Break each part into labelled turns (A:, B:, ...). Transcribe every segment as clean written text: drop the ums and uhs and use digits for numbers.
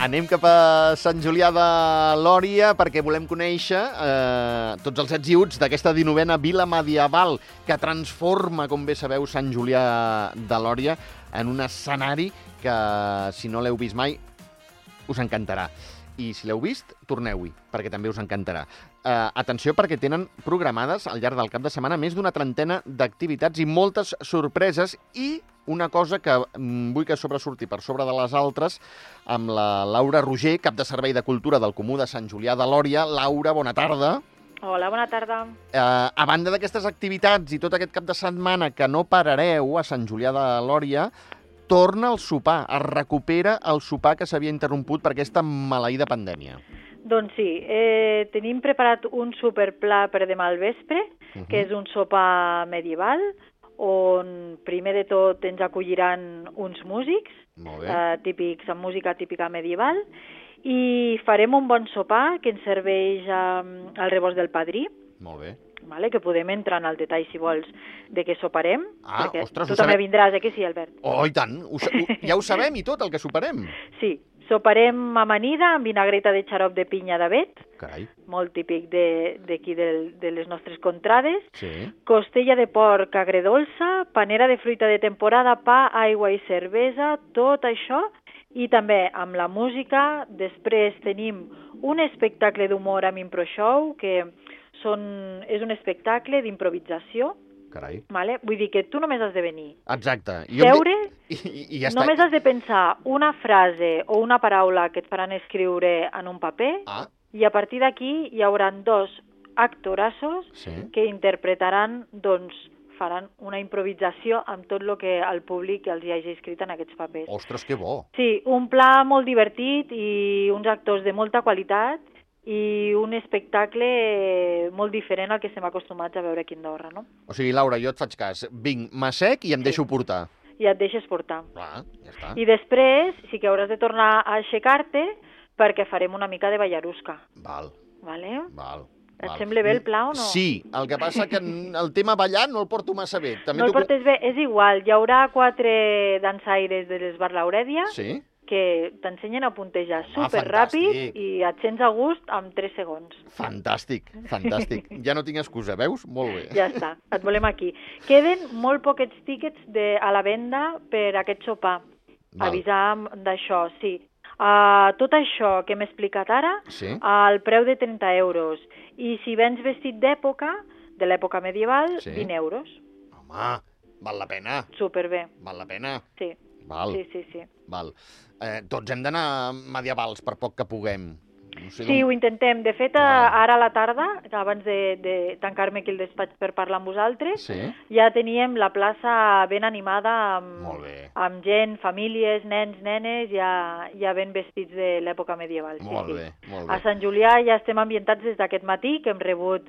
A: Anem cap a Sant Julià de Lòria perquè volem conèixer tots els ets i uts d'aquesta 19a vila medieval que transforma, com bé sabeu, Sant Julià de Lòria en un escenari que, si no l'heu vist mai, us encantarà. I si l'heu vist, torneu-hi, perquè també us encantarà. Atenció, perquè tenen programades al llarg del cap de setmana més d'una trentena d'activitats i moltes sorpreses, i una cosa que vull que sobresurti per sobre de les altres amb la Laura Roger, cap de Servei de Cultura del Comú de Sant Julià de Lòria. Laura, bona tarda.
B: Hola, bona tarda.
A: A banda d'aquestes activitats i tot aquest cap de setmana que no parareu a Sant Julià de Lòria, torna el sopar, es recupera el sopar que s'havia interromput per aquesta maleïda pandèmia.
B: Doncs sí, tenim preparat un superpla per demà al vespre, que és un sopar medieval, on primer de tot ens acolliran uns músics, típics, amb música típica medieval, i farem un bon sopar que ens serveix al rebost del padrí.
A: Molt bé.
B: Vale, que podem entrar en el detall, si vols, de què soparem. Perquè
A: ostres,
B: tu també vindràs, que sí, Albert?
A: Oh, i tant! Ja ho sabem i tot, el que soparem.
B: Sí, soparem amanida amb vinagreta de xarop de pinya d'avet, molt típic d'aquí de les nostres contrades, costella de porc agredolça, panera de fruita de temporada, pa, aigua i cervesa, tot això, i també amb la música. Després tenim un espectacle d'humor amb ImproShow, que és un espectacle d'improvisació.
A: Carai.
B: Vale? Vull dir que tu només has de venir.
A: Exacte.
B: Seure,
A: i ja està.
B: només has de pensar una frase o una paraula que et faran escriure en un paper, i a partir d'aquí hi haurà dos actorassos que interpretaran, doncs, faran una improvisació amb tot el que el públic els hi hagi escrit en aquests papers.
A: Ostres, que bo!
B: Sí, un pla molt divertit i uns actors de molta qualitat, i un espectacle molt diferent al que estem acostumats a veure aquí a Andorra, no?
A: O sigui, Laura, jo et faig cas. Vinc, m'assec i em deixo portar.
B: I et deixes portar.
A: Clar, ja està.
B: I després sí que hauràs de tornar a aixecar-te perquè farem una mica de ballarusca.
A: Val.
B: Vale?
A: Val.
B: Et sembla bé el pla o no?
A: Sí, el que passa que el tema ballar no el porto massa bé.
B: No el portes bé, és igual. Hi haurà 4 dansaires de l'Esbar Laurèdia que t'ensenyen a puntejar superràpid i et sents a gust en 3 segons.
A: Fantàstic, fantàstic. Ja no tinc excusa, veus? Molt bé.
B: Ja està, et volem aquí. Queden molt poquets tíquets a la venda per aquest sopar. Avisar d'això, sí. Tot això que m'he explicat ara, al preu de 30 euros. I si vens vestit d'època, de l'època medieval, 20 euros.
A: Home, val la pena.
B: Superbé.
A: Val la pena.
B: Sí.
A: Val.
B: Sí.
A: Val. Tots hem d'anar medievals per poc que puguem. No sé
B: sí, ho intentem. De fet, ara a la tarda, abans de tancar-me aquí al despatx per parlar amb vosaltres, ja teníem la plaça ben animada amb gent, famílies, nens, nenes, ja ben vestits de l'època medieval.
A: Molt bé.
B: A Sant Julià ja estem ambientats des d'aquest matí, que hem rebut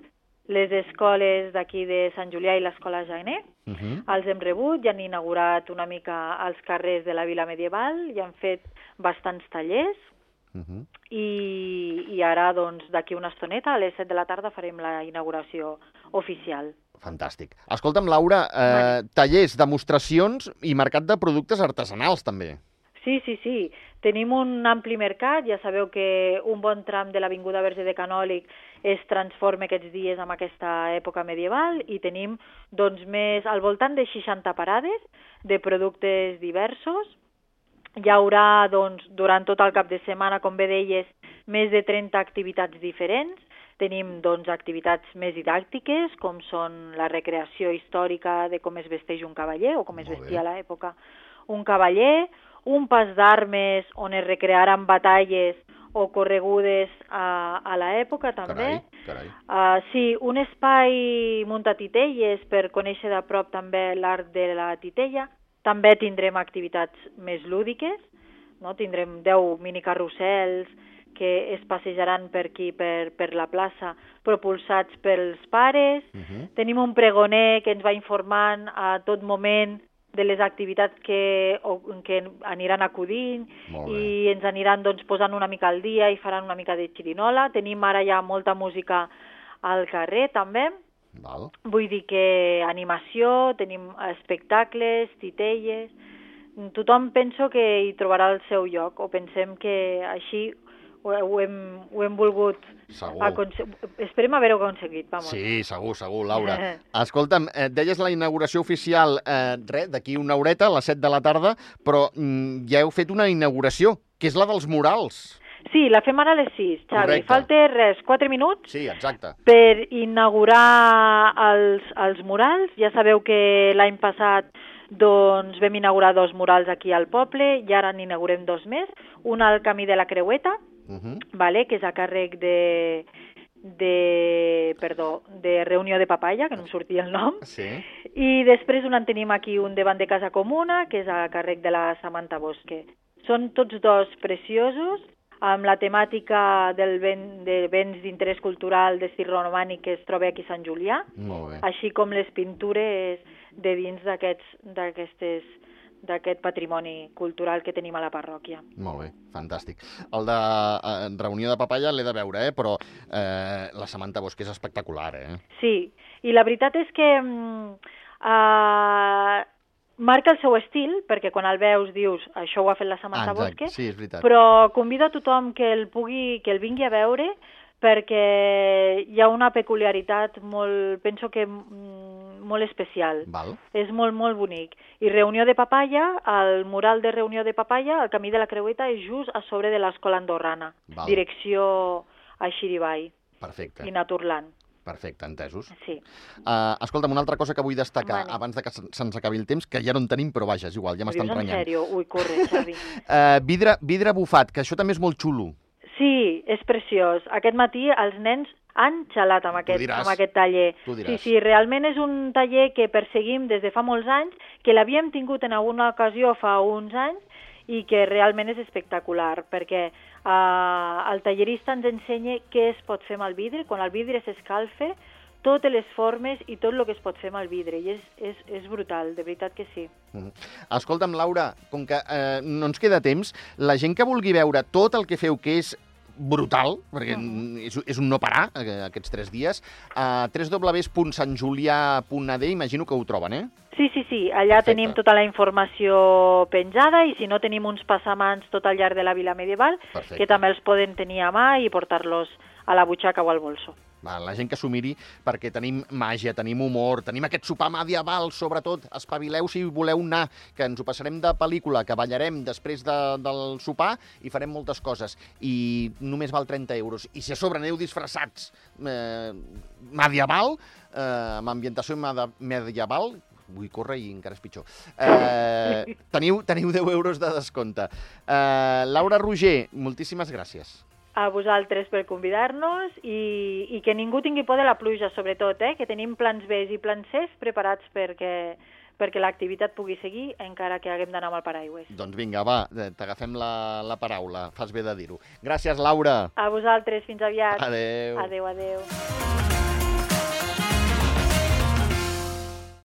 B: les escoles d'aquí de Sant Julià i l'escola Janer. Els hem rebut, ja han inaugurat una mica els carrers de la vila medieval, ja han fet bastants tallers, i ara, doncs, d'aquí una estoneta, a les 7 de la tarda, farem la inauguració oficial.
A: Fantàstic. Escolta'm, Laura, tallers, demostracions i mercat de productes artesanals, també.
B: Sí. Tenim un ampli mercat. Ja sabeu que un bon tram de l'Avinguda Verge de Canòlig es transforma aquests dies en aquesta època medieval, i tenim, doncs, al voltant de 60 parades de productes diversos. Hi haurà, doncs, durant tot el cap de setmana, com bé deies, més de 30 activitats diferents. Tenim, doncs, activitats més didàctiques, com són la recreació històrica de com es vesteix un cavaller, o com es vestia a l'època un cavaller, un pas d'armes on es recrearan batalles o corregudes a l'època, també.
A: Carai.
B: Sí, un espai muntat a titelles per conèixer de prop també l'art de la titella. També tindrem activitats més lúdiques, no? Tindrem 10 minicarrusels que es passejaran per aquí, per la plaça, propulsats pels pares. Tenim un pregoner que ens va informant a tot moment de les activitats que aniran acudint, i ens aniran, doncs, posant una mica al dia i faran una mica de xirinola. Tenim ara ja molta música al carrer, també. Vull dir que animació, tenim espectacles, titelles, tothom penso que hi trobarà el seu lloc, o pensem que així ho hem volgut esperem haver-ho aconseguit, vamos.
A: Sí, segur, Laura. Escolta'm, deies la inauguració oficial d'aquí una horeta, a les 7 de la tarda, però ja heu fet una inauguració, que és la dels murals.
B: Sí, la fem ara a les 6, Xavi.
A: Correcte.
B: Falta 4 minuts
A: Sí, exacte.
B: per inaugurar els murals. Ja sabeu que l'any passat doncs, vam inaugurar 2 murals aquí al poble i ara n'inaugurem 2 més. Un al Camí de la Creueta, vale, que és a càrrec de Reunió de Papaya, que no em sortia el nom.
A: Sí.
B: I després en tenim aquí un davant de Casa Comuna, que és a càrrec de la Samantha Bosque. Són tots 2 preciosos, amb la temàtica de béns d'interès cultural d'estil romànic que es troba aquí a Sant Julià, així com les pintures de dins d'aquest patrimoni cultural que tenim a la parròquia.
A: Molt bé, fantàstic. El de Reunió de Papaya l'he de veure, però la Samantha Bosque és espectacular,
B: Sí, i la veritat és que marca el seu estil, perquè quan el veus dius això ho ha fet la Samantha Bosque,
A: sí, és veritat.
B: Però convido a tothom que el vingui a veure perquè hi ha una peculiaritat penso que molt especial.
A: Val.
B: És molt, molt bonic. I Reunió de Papaya, el mural de Reunió de Papaya, el Camí de la Creueta, és just a sobre de l'escola andorrana, direcció a Xirivall.
A: Perfecte.
B: I Naturland.
A: Perfecte, entesos.
B: Sí.
A: Escolta'm, una altra cosa que vull destacar abans de que se'ns acabi el temps, que ja no en tenim, però vaja, és igual, ja m'estan renyant.
B: En sèrio? Ui, corre, Xavi.
A: Vidre bufat, que això també és molt xulo.
B: Sí, és preciós. Aquest matí els nens han xalat amb aquest taller. Sí, realment és un taller que perseguim des de fa molts anys, que l'havíem tingut en alguna ocasió fa uns anys i que realment és espectacular, perquè el tallerista ens ensenya què es pot fer amb el vidre, quan el vidre s'escalfa, totes les formes i tot el que es pot fer amb el vidre, i és brutal, de veritat que sí.
A: Escolta'm, Laura, com que no ens queda temps, la gent que vulgui veure tot el que feu, que és brutal, perquè és un no parar aquests 3 dies, www.santjulià.ad, imagino que ho troben,
B: Sí, allà tenim tota la informació penjada i si no tenim uns passamans tot al llarg de la vila medieval, que també els poden tenir a mà i portar-los a la butxaca o al bolso.
A: La gent que s'ho miri, perquè tenim màgia, tenim humor, tenim aquest sopar medieval, sobretot. Espavileu si voleu anar, que ens ho passarem de pel·lícula, que ballarem després del sopar i farem moltes coses. I només val 30 euros. I si a sobre aneu disfressats medieval, amb ambientació medieval, vull córrer i encara és pitjor. Teniu 10 euros de descompte. Laura Roger, moltíssimes gràcies.
B: A vosaltres per convidar-nos i que ningú tingui por de la pluja, sobretot, que tenim plans B i plans C preparats perquè l'activitat pugui seguir encara que haguem d'anar amb el paraigües.
A: Doncs vinga, va, t'agafem la paraula, fas bé de dir-ho. Gràcies, Laura.
B: A vosaltres, fins aviat.
A: Adéu.
B: Adéu.